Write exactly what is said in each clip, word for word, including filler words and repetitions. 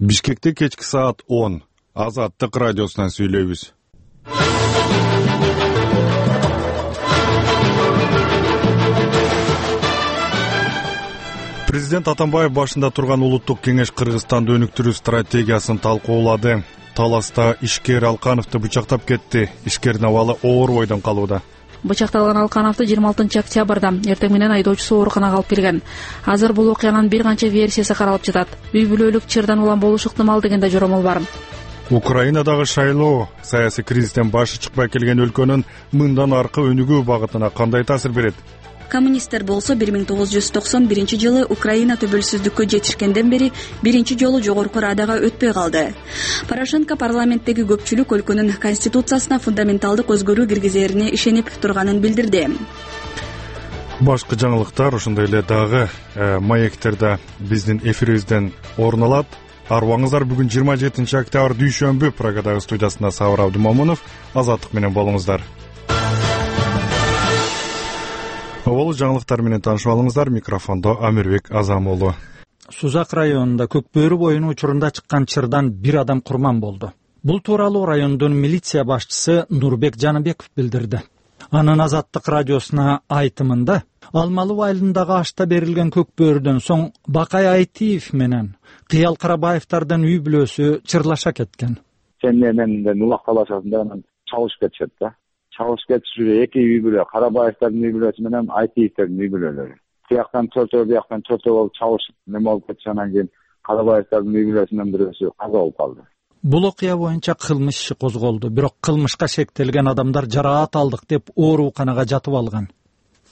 Бишкекте кечки саат он. Азаттык радиосунан сүйлөйбүз. Президент Атамбаев башында турган улуттук кеңеш Кыргызстанды өнүктүрүү стратегиясын талкуулады. Таласта ишкер Алкановду бычактап кетти. Ишкердин абалы оор бойдон калууда. Бычакталган Алкановду жыйырма алтынчы октябрда эртең менен айдоочусу ооруканага алып келген. Азыр бул окуянын бир канча версиясы каралып жатат. Үй бүлөлүк чырдан улам болушу ыктымал деген да жоромол бар. Украинадагы шайлоо саясий кризистен башы чыкпай келген өлкөнүн мындан аркы өнүгүү багытына кандай таасир берет? Коммунисттер болсо бир миң тогуз жүз токсон биринчи жылы Украина төбөлсүздүккө жетишкенден бери биринчи жолу жогорку радага өтпөй калды. Порошенко парламенттеги көпчүлүк өлкөнүн конституциясына фундаменталдык өзгөрүү киргизерине ишенип турганын билдирди. Башкы жаңылыктар ошондой эле дагы маектерде биздин эфирибизден орун алат. Арыбаңыздар, бүгүн жыйырма жетинчи октябрь дүйшөмбү. Прагадагы студиясында Сабыр Абдымомунов. Азаттык менен болуңуздар. Ол жаңылыктар менен таанышып алыңыздар. Микрофондо Амирбек Азамолу. Сузак районунда Көкбөрү боюнун учурунда чыккан чырдан бир адам курман болду. Бул тууралуу райондун милиция башчысы Нурбек Жаныбеков билдирди. Анын Азаттык радиосуна айтымында Алмалуу айылындагы ашта берилген Көкбөрүдөн соң Бакай Айтиев менен Кыял Карабаевдардын үй бүлөсү чырлаша кеткен. Сен менен улак талашасында анан чабышып кетишет да. Чабышып кетишип эки үй бүлө, Карабаевдардын үй бүлөсү менен Айтиевдердин үй бүлөлөрү. Тияктан төртөө, бияктан төртөө болуп чабышып неме болуп кетиши, анан кийин Карабаевдардын үй бүлөсүнөн бирөөсү каза болуп калды. Бул окуя боюнча кылмыш иши козголду, бирок кылмышка шектелген адамдар жараат алдык деп ооруканага жатып алган.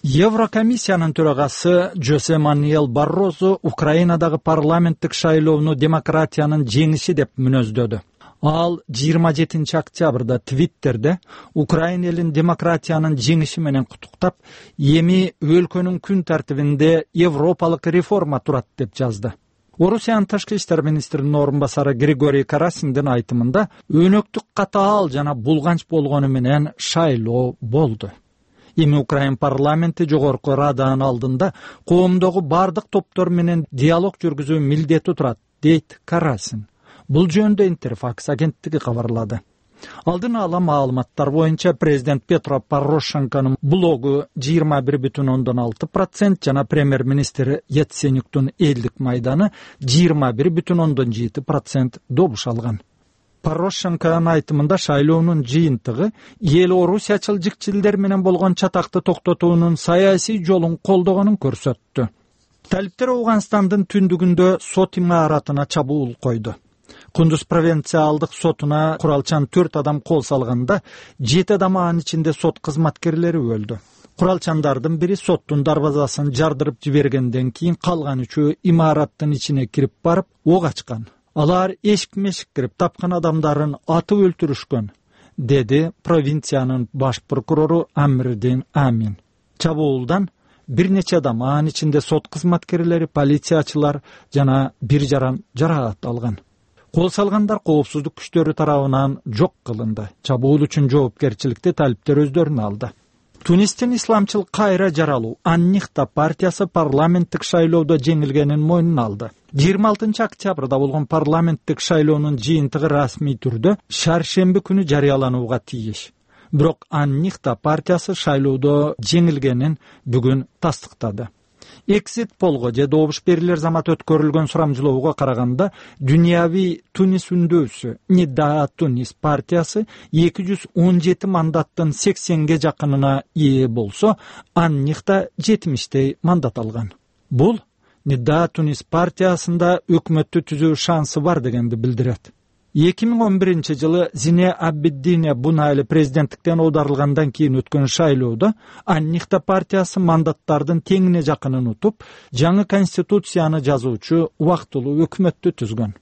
Еврокомиссиянын төрагасы Жосе Мануэл Баррозу Украинадагы парламенттик шайлоону демократиянын жеңиши деп мүнөздөдү. Ал жыйырма жетинчи октябрда Твиттерде Украина элин демократиянын жеңиши менен куттуктап, эми өлкөнүн күн тартибинде европалык реформа турат деп жазды. Орусиянын тышкы иштер министринин орун басары Григорий Карасиндин айтымында өнөктүк катаал жана булганч болгону менен шайлоо болду. Эми Украин парламенти жогорку раданын алдында коомдогу бардык топтор менен диалог жүргүзүү милдети турат, дейт Карасин. Бул жөнүндө Интерфакс агенттиги кабарлады. Алдын ала маалыматтар боюнча президент Петро Порошенконун блогу жыйырма бир бүтүн ондон алты процент жана премьер-министр Яценюктун элдик майданы жыйырма бир бүтүн ондон жети процент добуш алган. Порошенконун айтымында шайлоонун жыйынтыгы эл орусиячыл жикчилдер менен болгон чатакты токтотуунун саясий жолун колдогонун көрсөттү. Талиптер Ауганстандын түндүгүндө сот имаратына чабуул койду. Кундуз провинциалдык сотуна куралчан төрт адам кол салганда, жети адам анын ичинде сот кызматкерлери өлдү. Куралчандардын бири соттун дарбазасын жардырып жибергенден кийин калган үчөө имараттын ичине кирип барып ок ачкан. Алар эшик-мешик кирип тапкан адамдарын атып өлтүрүшкөн, деди провинциянын баш прокурору Амирдин Амин. Чабуулдан бир нече адам, анын ичинде сот кызматкерлери, полициячылар жана бир жаран жараат алган. Кол салгандар коопсуздук күчтөрү тарабынан жок кылынды. Чабуул үчүн жоопкерчиликти талиптер өздөрүнө алды. Тунистин исламчыл кайра жаралуу Аннихта партиясы парламенттик шайлоодо жеңилгенин мойнуна алды. жыйырма алтынчы октябрда болгон парламенттик шайлоонун жыйынтыгы расмий түрдө шаршемби күнү жарыяланууга тийиш. Бирок Аннихта партиясы шайлоодо жеңилгенин бүгүн тастыктады. Exit полго же добуш берилер замат өткөрүлгөн сурамжылоого караганда, дүйнөви Тунис үндөөсү Нидаа Тунис партиясы эки жүз он жети мандаттын сексенге жакынына ээ болсо, Аннихта жетимиштей мандат алган. Бул Нидаа Тунис партиясында өкмөттү түзүү шансы бар дегенди билдирет. эки миң он биринчи жылы Зине Абиддине Бунайли президенттиктен оодарылгандан кийин өткөн шайлоодо Аннихта партиясы мандаттардын теңине жакынын утуп, жаңы конституцияны жазуучу убактылуу өкмөттү түзгөн.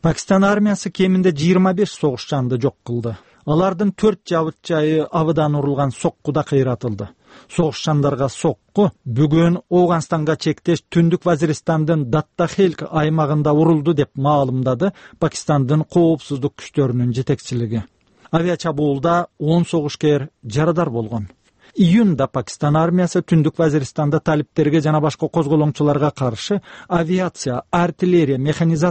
Пакистан армиясы кеминде жыйырма беш согушчанды жок кылды. Алардын төрт жабыт жайы абыдан урулган соккуда кыйратылды. Согушчандарга сокку бүгүн Ауганстанга чектеш Түндүк Вазиристандын Даттахелк аймагында урулду деп маалымдады Пакистандын коопсуздук күчтөрүнүн жетекчилиги. Авиачабуулда он согушкер жарадар болгон. Июнда Пакистан армиясы Түндүк Вазиристанда талиптерге жана башка козголоңчуларга каршы авиация, артиллерия, механизация